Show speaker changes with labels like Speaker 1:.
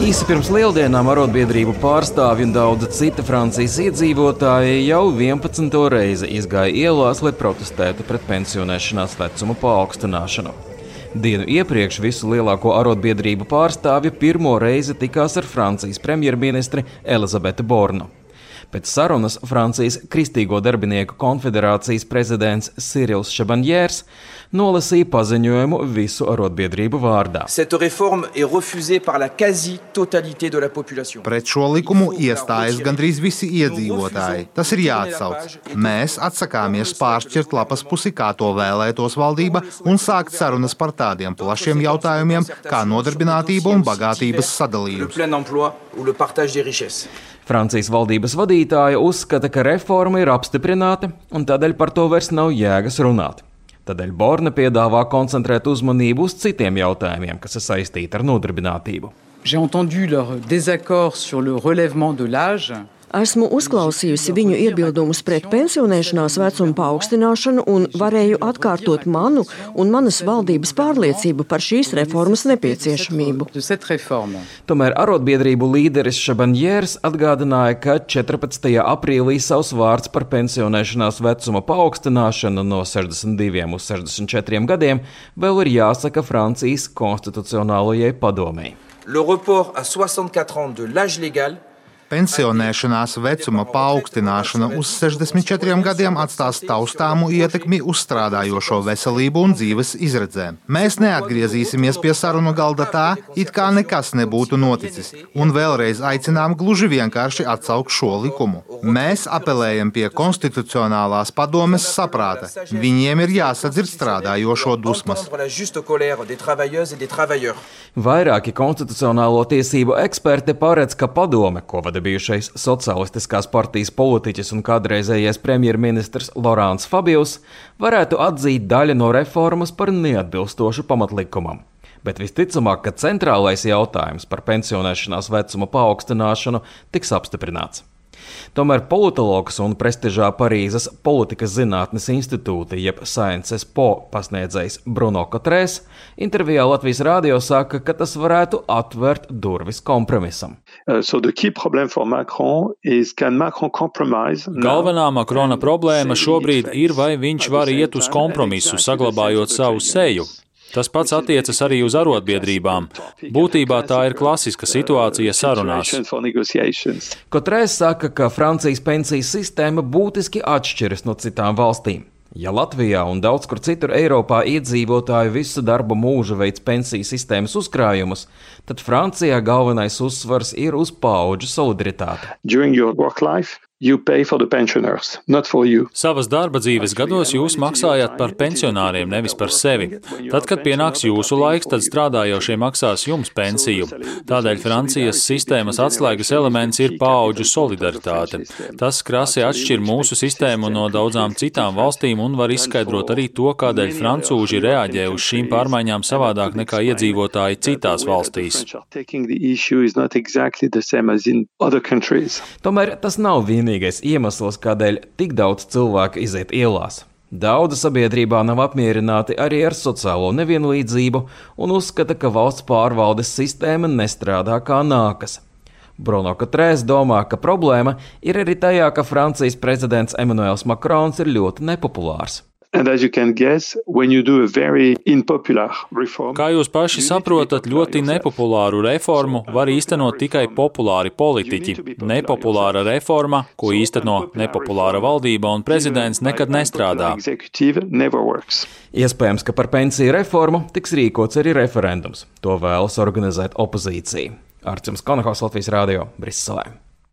Speaker 1: Īsi pirms lieldienām arotbiedrību pārstāvji un daudzi citi Francijas iedzīvotāji jau 11. reizi izgāja ielās, lai protestētu pret pensionēšanās vecuma paaugstināšanu. Dienu iepriekš visu lielāko arotbiedrību pārstāvji pirmo reizi tikās ar Francijas premjerministri Elizabeti Bornu. Pēc sarunas Francijas Kristīgo darbinieku konfederācijas prezidents Cyrils Chabanniers nolasīja paziņojumu visu arotbiedrību vārdā.
Speaker 2: Pret šo likumu iestājas gandrīz visi iedzīvotāji. Tas ir jāatsauc. Mēs atsakāmies pāršķirt lapas pusi, kā to vēlētos valdība, un sākt sarunas par tādiem plašiem jautājumiem, kā nodarbinātība un bagātības sadalījums.
Speaker 1: Francijas valdības vadītāja uzskata, ka reforma ir apstiprināta, un tādēļ par to vairs nav jēgas runāt. Tādēļ Borne piedāvā koncentrēt uzmanību uz citiem jautājumiem, kas ir saistīti ar nodarbinātību.
Speaker 3: J'ai entendu leur désaccord sur le relèvement de l'âge.
Speaker 4: Esmu uzklausījusi viņu iebildumus pret pensionēšanās vecuma paaugstināšanu un varēju atkārtot manu un manas valdības pārliecību par šīs reformas nepieciešamību.
Speaker 1: Tomēr arotbiedrību līderis Chabanniers atgādināja, ka 14. aprīlī savs vārds par pensionēšanās vecuma paaugstināšanu no 62 uz 64 gadiem vēl ir jāsaka Francijas konstitucionālajai padomei.
Speaker 5: Le report à 64 ans de l'âge légal.
Speaker 2: Pensionēšanās vecuma paaugstināšana uz 64 gadiem atstās taustāmu ietekmi uz strādājošo veselību un dzīves izredzēm. Mēs neatgriezīsimies pie sarunu galda tā, it kā nekas nebūtu noticis, un vēlreiz aicinām gluži vienkārši atsaukt šo likumu. Mēs apelējam pie konstitucionālās padomes saprāta. Viņiem ir jāsadzird strādājošo dusmas.
Speaker 1: Vairāki konstitucionālo tiesību eksperti paredz, ka padome, ko vada bijušais Socialistiskās partijas politiķis un kādreizējais premjerministrs Laurents Fabius, varētu atzīt daļu no reformas par neatbilstošu pamatlikumam. Bet visticamāk, ka centrālais jautājums par pensionēšanās vecuma paaugstināšanu tiks apstiprināts. Tomēr politologs un prestižā Parīzes politikas zinātnes institūta, jeb Sciences Po pasniedzējs Bruno Cotrès, intervijā Latvijas rādio saka, ka tas varētu atvērt durvis kompromisam.
Speaker 6: Galvenā Makrona problēma šobrīd ir, vai viņš var iet uz kompromisu, saglabājot savu seju. Tas pats attiecas arī uz arotbiedrībām. Būtībā tā ir klasiska situācija sarunās.
Speaker 1: Cotrès saka, ka Francijas pensiju sistēma būtiski atšķiras no citām valstīm. Ja Latvijā un daudz kur citur Eiropā iedzīvotāji visu darba mūžu veids pensiju sistēmas uzkrājumus, tad Francijā galvenais uzsvars ir uz paudžu solidaritāti.
Speaker 6: Savas darba dzīves gados jūs maksājat par pensionāriem, nevis par sevi. Tad, kad pienāks jūsu laiks, tad strādājošie maksās jums pensiju. Tādēļ Francijas sistēmas atslēgas elements ir paudžu solidaritāte. Tas krasi atšķir mūsu sistēmu no daudzām citām valstīm un var izskaidrot arī to, kādēļ francūži reaģē uz šīm pārmaiņām savādāk nekā iedzīvotāji citās valstīs.
Speaker 1: Tomēr tas nav vienīgais iemesls, kādēļ tik daudz cilvēku iziet ielās. Daudzi sabiedrībā nav apmierināti arī ar sociālo nevienlīdzību un uzskata, ka valsts pārvaldes sistēma nestrādā kā nākas. Bruno Cotrès domā, ka problēma ir arī tajā, ka Francijas prezidents Emmanuels Macrons ir ļoti nepopulārs.
Speaker 6: Kā jūs paši saprotat, ļoti nepopulāru reformu var īstenot tikai populāri politiķi. Nepopulāra reforma, ko īsteno nepopulāra valdība un prezidents, nekad nestrādā.
Speaker 1: Iespējams, ka par pensiju reformu tiks rīkots arī referendums. To vēlas organizēt opozīcija. Arčuns Konahos, Latvijas rādio, Briselē.